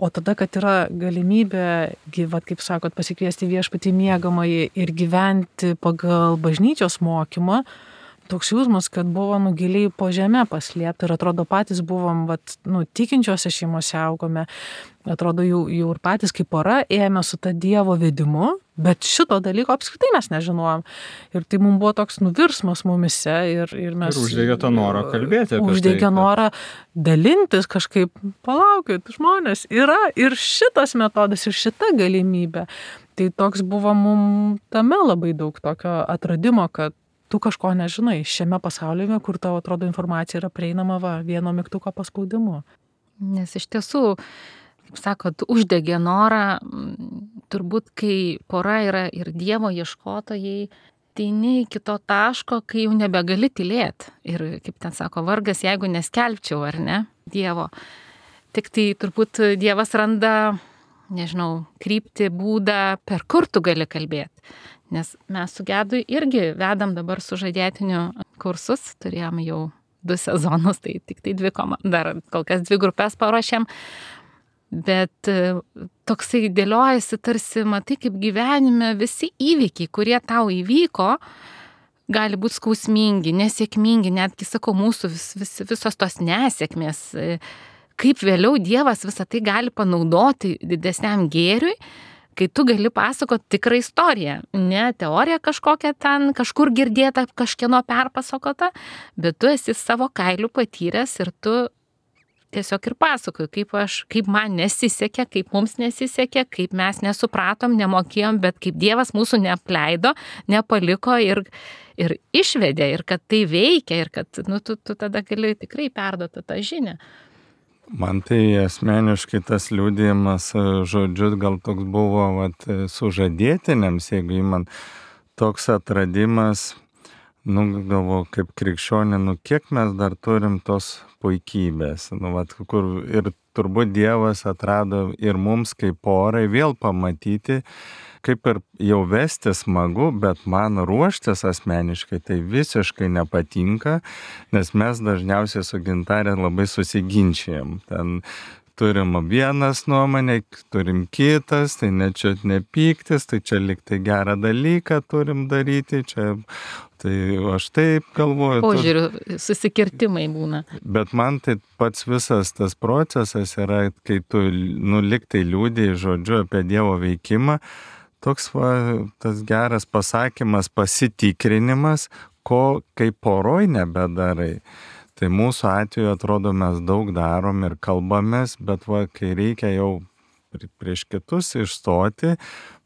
O tada, kad yra galimybė, vat, kaip sakot, pasikviesti viešpatį miegamąjį ir gyventi pagal bažnyčios mokymą, toks jausmas, kad buvo nu, giliai po žemę paslėpta ir atrodo patys buvom vat, nu, tikinčiose šeimose augome, atrodo jau, jau ir patys kaip pora ėjome su ta Dievo vedimu, bet šito dalyko apskritai mes nežinojom. Ir tai mums buvo toks nuvirsmas mumise ir, ir mes... Ir uždegė tą norą kalbėti apie uždegė tai. Kad... norą dalintis kažkaip, palaukit, žmonės, yra ir šitas metodas, ir šita galimybė. Tai toks buvo mums tame labai daug tokio atradimo, kad tu kažko nežinai šiame pasaulyje, kur tavo atrodo informacija yra prieinama va, vieno mygtuko paspaudimu. Nes iš tiesų, kaip sakot, uždegė norą, turbūt kai pora yra ir Dievo ieškotojai, tai ne iki to taško, kai jau nebegali tylėti. Ir kaip ten sako, vargas, jeigu neskelbčiau, ar ne, Dievo. Tik tai turbūt Dievas randa, nežinau, kryptį, būdą, per kur tu gali kalbėti. Nes mes su Gedu irgi vedam dabar sužadėtinių kursus, turėjom jau du sezonus, tai tik tai dvi komandas, dar kol kas dvi grupės paruošėm, bet toksai dėliojasi tarsi, matai, kaip gyvenime visi įvykiai, kurie tau įvyko, gali būti skausmingi, nesėkmingi, netgi, sakau, mūsų vis, vis, visos tos nesėkmės, kaip vėliau Dievas visą tai gali panaudoti didesniam gėriui, kai tu gali pasakoti tikrą istoriją, ne teoriją kažkokią ten, kažkur girdėtą, kažkieno perpasakota, bet tu esi savo kailių patyręs ir tu tiesiog ir pasakoju, kaip aš, kaip man nesisekė, kaip mums nesisekė, kaip mes nesupratom, nemokėjom, bet kaip Dievas mūsų neapleido, nepaliko ir, ir išvedė, ir kad tai veikia, ir kad nu, tu, tu tada gali tikrai perduoti tą žinią. Man tai asmeniškai tas liudijimas, žodžiu, gal toks buvo vat, sužadėtiniams, jeigu man toks atradimas, nu, galvo, kaip krikščionė, nu, kiek mes dar turim tos puikybės, nu, vat, kur ir turbūt Dievas atrado ir mums kaip porai vėl pamatyti, kaip ir jau vesti smagu, bet man ruoštis asmeniškai tai visiškai nepatinka, nes mes dažniausiai su Gintarė labai susiginčijam. Ten turim vienas nuomonę, turim kitas, tai ne čia nepyktis, tai čia liktai gerą dalyką turim daryti, čia tai aš taip galvoju. Požiūrių susikirtimai būna. Bet man tai pats visas tas procesas yra, kai tu nu, liktai liūdėjai žodžiu apie Dievo veikimą, toks va, tas geras pasakymas, pasitikrinimas, ko kaip poroj nebedarai. Tai mūsų atveju atrodo mes daug darom ir kalbamės, bet va, kai reikia jau prieš kitus išstoti,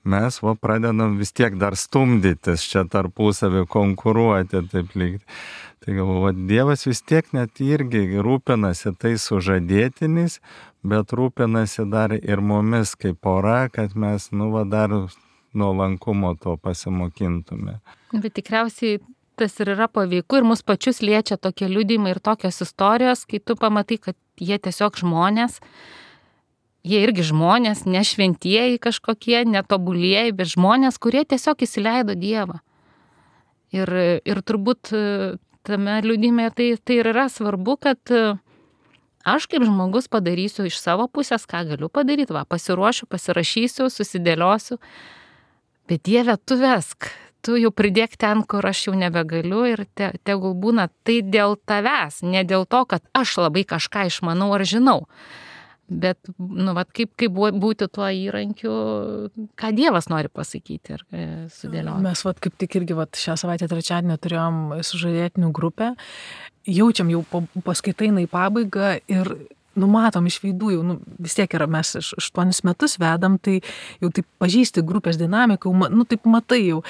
mes va, pradedam vis tiek dar stumdytis, čia tarpusavį konkuruoti, taip lyg. Tai galvoju, Dievas vis tiek net irgi rūpinasi tai sužadėtinis, bet rūpinasi dar ir mumis kaip pora, kad mes, nu, va, dar nuolankumo to pasimokintume. Bet tikriausiai tas ir yra paveiku ir mus pačius liečia tokie liudijimai ir tokios istorijos, kai tu pamatai, kad jie tiesiog žmonės, jie irgi žmonės, ne šventieji kažkokie, netobulieji, bet žmonės, kurie tiesiog įsileido Dievą. Ir, ir turbūt tame liudijime tai, tai ir yra svarbu, kad aš kaip žmogus padarysiu iš savo pusės, ką galiu padaryti, va, pasiruošiu, pasirašysiu, susidėliosiu. Bet Dieve, tu vesk, tu jau pridėk ten, kur aš jau nebegaliu ir te, tegul būna tai dėl tavęs, ne dėl to, kad aš labai kažką išmanau ar žinau. Bet, nu, vat, kaip, kaip būti tuo įrankiu, ką Dievas nori pasakyti ir sudėlioti. Mes vat, kaip tik irgi vat, šią savaitę trečiadienį turėjom sužadėtinių grupę, jaučiam jau paskaitainai pabaigą ir numatom iš veidų, jau nu, vis tiek yra, mes aštuonis metus vedam, tai jau taip pažįsti grupės dinamiką, nu taip matai jau.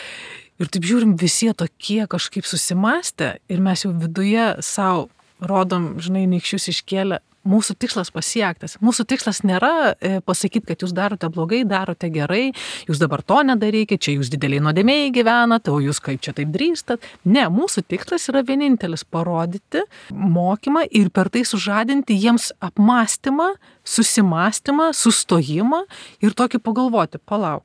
Ir taip žiūrim, visi tokie kažkaip susimastę ir mes jau viduje savo rodom, žinai, nykščius iškėlę, mūsų tikslas pasiektas. Mūsų tikslas nėra pasakyti, kad jūs darote blogai, darote gerai, jūs dabar to nedarykite, čia jūs dideliai nuodėmėjai gyvenate, o jūs kaip čia taip drįstat. Ne, mūsų tikslas yra vienintelis - parodyti mokymą ir per tai sužadinti jiems apmąstymą, susimąstymą, sustojimą ir tokį pagalvoti, palauk.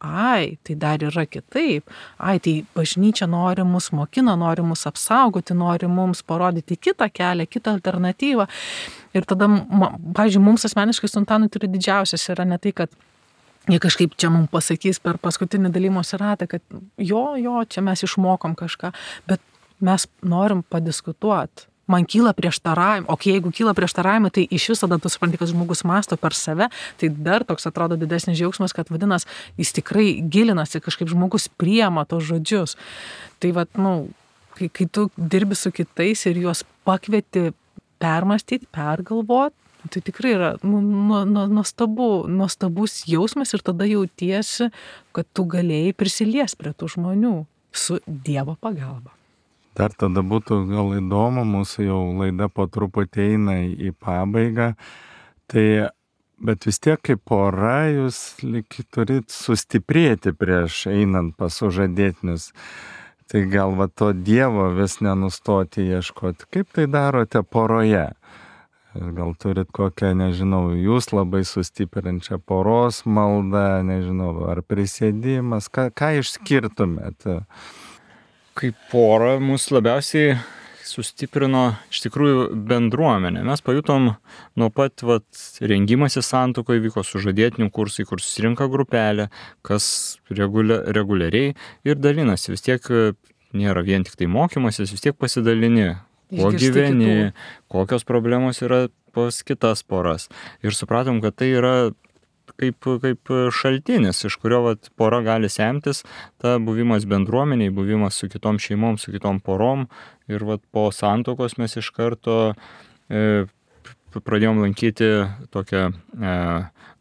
Ai, tai dar yra kitaip. Ai, tai bažnyčia nori mus mokina, nori mus apsaugoti, nori mums parodyti kitą kelią, kitą alternatyvą. Ir tada, pavyzdžiui, mums asmeniškai su Antanui turi didžiausias yra ne tai, kad jie kažkaip čia mums pasakys per paskutinį dalymosi ratą, kad jo, jo, čia mes išmokom kažką, bet mes norim padiskutuoti. Man kyla prieštaravimai, o jeigu kyla prieštaravimai, tai iš viso tada tu supranti, kad žmogus mąsto per save, tai dar toks atrodo didesnis džiaugsmas, kad vadinas, jis tikrai gilinasi, kažkaip žmogus priema tos žodžius. Tai vat, nu, kai, kai tu dirbi su kitais ir juos pakvieti permastyti, pergalvoti, tai tikrai yra nu, nu, nu, nuostabu, nuostabus jausmas ir tada jautiesi, kad tu galėjai prisiliesti prie tų žmonių su Dievo pagalba. Dar tada būtų gal įdomu, mūsų jau laida po truputį eina į pabaigą, tai, bet vis tiek kaip pora jūs lyg turit sustiprėti prieš einant pas sužadėtinius. Tai gal va to Dievo vis nenustoti ieškoti. Kaip tai darote poroje? Gal turit kokią, nežinau, jūs labai sustiprinčią poros maldą, nežinau, ar prisėdimas, ką, ką išskirtumėt? Kaip pora mus labiausiai sustiprino iš tikrųjų bendruomenė. Mes pajutom nuo pat vat, rengimasi santuokoje, vyko sužadėtinių kursai, kur susirinka grupelė, kas regulia, reguliariai ir dalinasi. Vis tiek nėra vien tik tai mokymasis, vis tiek pasidalini, kuo gyveni, kokios problemos yra pas kitas poras. Ir supratom, kad tai yra kaip, kaip šaltinis, iš kurio vat, pora gali semtis, ta buvimas bendruomeniai, buvimas su kitom šeimom, su kitom porom. Ir vat, po santuokos mes iš karto e, pradėjom lankyti tokią e,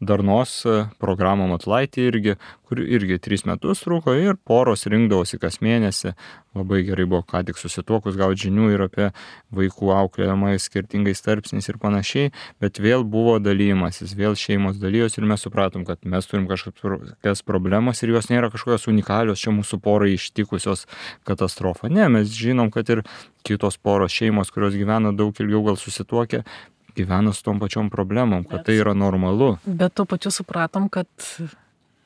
darnos programą Matulaitį irgi, kur irgi tris metus truko ir poros rinkdavosi kas mėnesį. Labai gerai buvo ką tik susituokus gauti žinių ir apie vaikų auklėjimą skirtingais tarpsniais ir panašiai, bet vėl buvo dalymasis, vėl šeimos dalyjos ir mes supratom, kad mes turim kažkokias problemas ir jos nėra kažkokios unikalios, čia mūsų porai ištikusios katastrofa. Ne, mes žinom, kad ir kitos poros šeimos, kurios gyvena daug ilgiau gal susituokę, gyvena su tom pačiom problemom, kad tai yra normalu. Bet tuo pačiu supratom, kad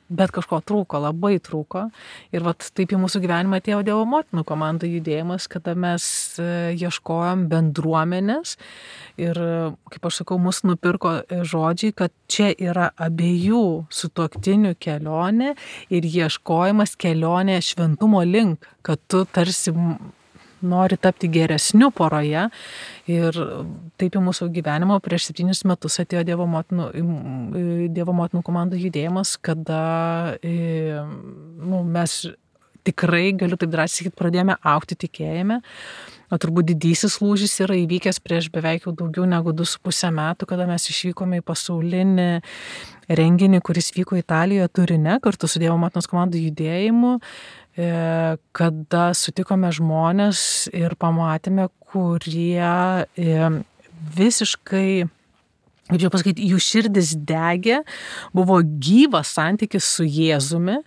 bet kažko trūko, labai trūko. Ir vat taip į mūsų gyvenimą atėjo Dievo motinų komandų judėjimas, kada mes ieškojom bendruomenės. Ir, kaip aš sakau, mus nupirko žodžiai, kad čia yra abiejų sutuoktinių kelionė ir ieškojimas kelionė šventumo link, kad tu tarsi nori tapti geresniu poroje. Ir taip į mūsų gyvenimą prieš septynis metus atėjo Dievo motinų, Dievo motinų komandų judėjimas, kada nu, mes tikrai, galiu taip drąsiai sakyti, pradėjome augti tikėjime. O turbūt didysis lūžis yra įvykęs prieš beveik jau daugiau negu du su pusę metų, kada mes išvykome į pasaulinį renginį, kuris vyko Italijoje Turine, kartu su Dievo motinos komandų judėjimu, kada sutikome žmonės ir pamatėme, kurie visiškai, kaip čia pasakyti, jų širdis degė, buvo gyvas santykis su Jėzumi.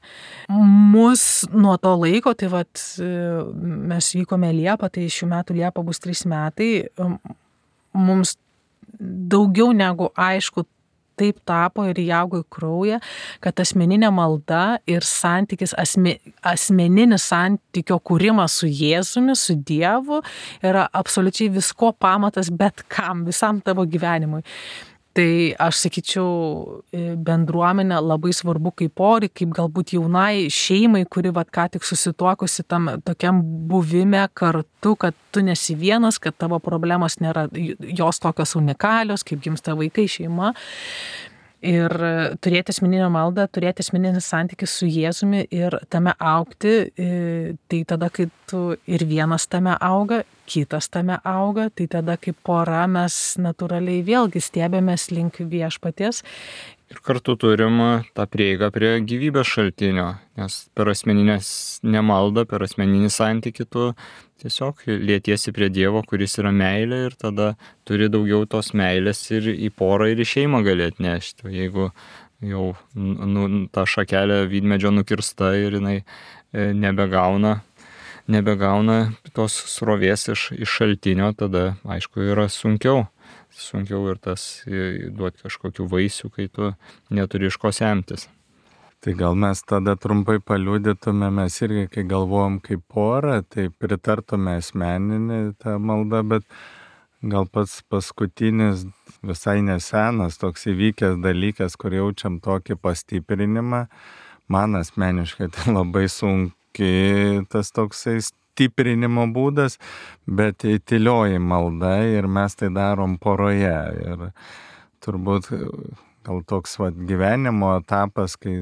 Mus nuo to laiko, tai vat, mes vykome Liepą, tai šių metų Liepą bus trys metai, mums daugiau negu aišku, taip tapo ir įaugo į kraują, kad asmeninė malda ir santykis, asme, asmeninis santykio kūrimas su Jėzumi, su Dievu yra absoliučiai visko pamatas bet kam, visam tavo gyvenimui. Tai aš sakyčiau, bendruomenė labai svarbu kaip porai, kaip galbūt jaunai šeimai, kuri vat ką tik susituokusi tam tokiam buvime kartu, kad tu nesi vienas, kad tavo problemos nėra jos tokios unikalios, kaip gimsta vaikai, šeima. Ir turėti asmeninę maldą, turėti asmeninį santykį su Jėzumi ir tame augti, tai tada, kai tu ir vienas tame auga, kitas tame auga, tai tada kaip pora mes natūraliai vėlgi stebėmės link viešpaties Ir kartu turim tą prieigą prie gyvybės šaltinio, nes per asmeninės nemaldą, per asmeninį santykį tu tiesiog lietiesi prie Dievo, kuris yra meilė, ir tada turi daugiau tos meilės ir į porą, ir į šeimą gali atnešti. O jeigu jau nu, ta šakelė vynmedžio nukirsta ir jinai nebegauna, nebegauna tos srovės iš, iš šaltinio, tada aišku yra sunkiau. sunkiau ir tas duoti kažkokių vaisių, kai tu neturi iš ko semtis. Tai gal mes tada trumpai paliudytume, mes irgi, kai galvojam kaip porą, tai pritartume asmeninį tą maldą, bet gal pats paskutinis visai nesenas toks įvykęs dalykas, kur jaučiam tokį pastiprinimą, man asmeniškai tai labai sunkiai tas toksai stiprinimo būdas, bet tylioji malda ir mes tai darom poroje. Ir turbūt gal toks vat, gyvenimo etapas, kai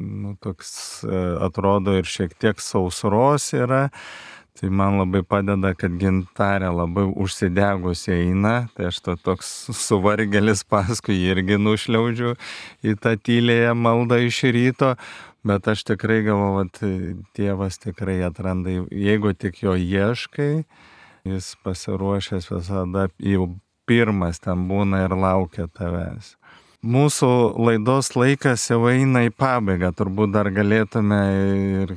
nu, toks atrodo ir šiek tiek sausros yra, tai man labai padeda, kad Gintarė labai užsidegusi eina, tai aš to toks suvargelis paskui irgi nušliaužiu į tą tylėją maldą iš ryto. Bet aš tikrai galvoju, kad Dievas tikrai atranda, jeigu tik jo ieškai, jis pasiruošęs visada, jau pirmas ten būna ir laukia tavęs. Mūsų laidos laikas jau eina į pabaigą, turbūt dar galėtume ir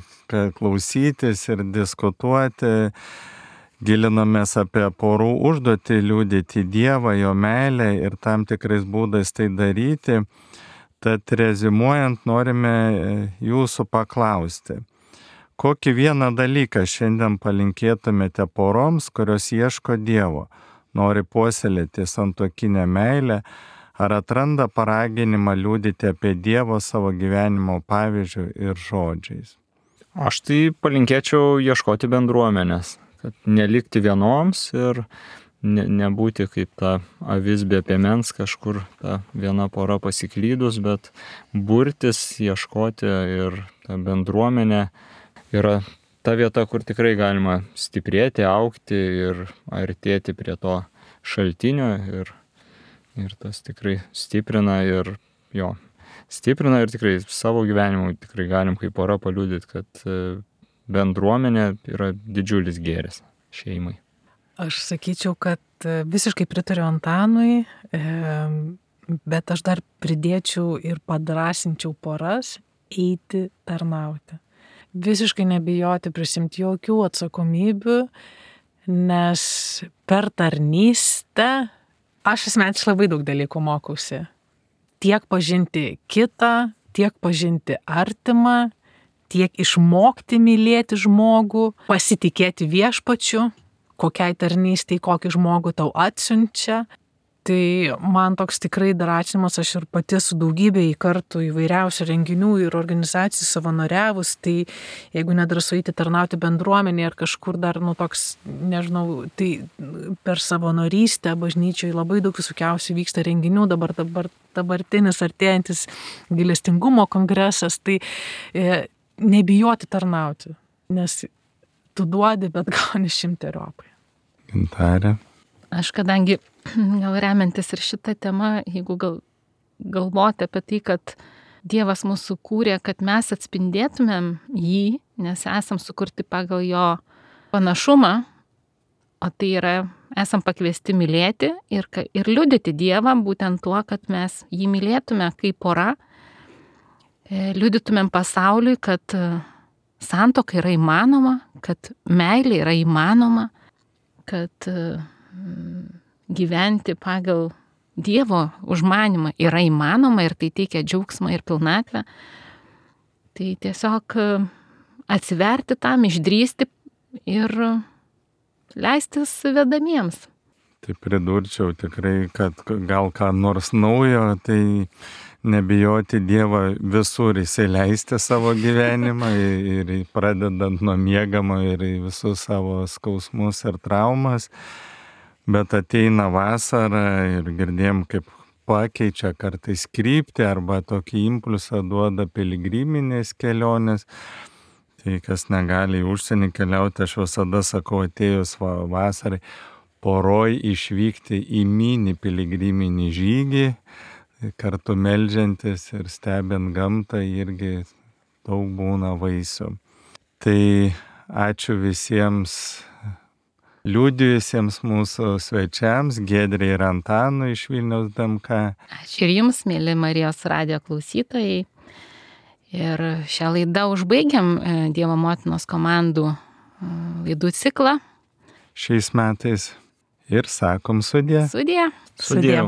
klausytis ir diskutuoti, gilinamės apie porų užduotį, liudyti Dievą, jo meilę ir tam tikrais būdais tai daryti. Tad rezimuojant norime jūsų paklausti, kokį vieną dalyką šiandien palinkėtumėte poroms, kurios ieško Dievo, nori puoselėti santuokinę meilę, ar atranda paraginimą liudyti apie Dievo savo gyvenimo pavyzdžių ir žodžiais? Aš tai palinkėčiau ieškoti bendruomenės, kad nelikti vienoms ir Ne, nebūti kaip ta avis be piemens, kažkur ta viena pora pasiklydus, bet burtis, ieškoti, ir ta bendruomenė yra ta vieta, kur tikrai galima stiprėti, augti ir artėti prie to šaltinio, ir, ir tas tikrai stiprina ir jo, stiprina ir tikrai savo gyvenimu tikrai galim kaip pora paliudyti, kad bendruomenė yra didžiulis gėris šeimai. Aš sakyčiau, kad visiškai pritariu Antanui, bet aš dar pridėčiau ir padrasinčiau poras eiti tarnauti. Visiškai nebijoti prisimti jokių atsakomybių, nes per tarnystę aš asmeniškai labai daug dalykų mokausi. Tiek pažinti kitą, tiek pažinti artimą, tiek išmokti mylėti žmogų, pasitikėti viešpačiu, kokiai tarnystei, kokį žmogų tau atsiunčia. Tai man toks tikrai drąsinimas, aš ir pati su daugybė į kartų įvairiausių renginių ir organizacijų savanoriavus, tai jeigu nedrąsu eiti tarnauti bendruomenėje ar kažkur dar, nu toks, nežinau, tai per savanorystę bažnyčioje labai daug visokiausių vyksta renginių, dabar, dabar dabartinis artėjantis gailestingumo kongresas, tai e, nebijoti tarnauti, nes tu duodi, bet gauni šimteriopai. Gintarė. Aš kadangi gal remiantis ir šitą temą, jeigu gal, galvoti apie tai, kad Dievas mūsų kūrė, kad mes atspindėtumėm jį, nes esam sukurti pagal jo panašumą, o tai yra, esam pakviesti mylėti ir, ir liudyti Dievą būtent tuo, kad mes jį mylėtume kaip pora, liudytumėm pasauliui, kad santuoka yra įmanoma, kad meilė yra įmanoma, kad gyventi pagal Dievo užmanymą yra įmanoma ir tai teikia džiaugsmą ir pilnatvę. Tai tiesiog atsiverti tam, išdrįsti ir leistis vedamiems. Tai pridurčiau tikrai, kad gal ką nors naujo, tai nebijoti Dievą visur įsileisti savo gyvenimą ir pradedant nuo miegamo ir į visus savo skausmus ir traumas. Bet ateina vasara ir girdėjom, kaip pakeičia kartais kryptį arba tokį impulsą duoda piligriminės kelionės. Tai kas negali į užsienį keliauti, aš visada sakau, atėjus vasarai, poroj išvykti į mini piligriminį žygį. kartu meldžiantis ir stebint gamtą irgi daug būna vaisių. Tai ačiū visiems liudijusiems mūsų svečiams, Giedrei ir Antanui iš Vilniaus D M K. Ačiū ir jums, mėly Marijos radijo klausytojai. Ir šią laidą užbaigiam Dievo motinos komandų laidų ciklą. Šiais metais ir sakom sudie. Sudie. Sudie.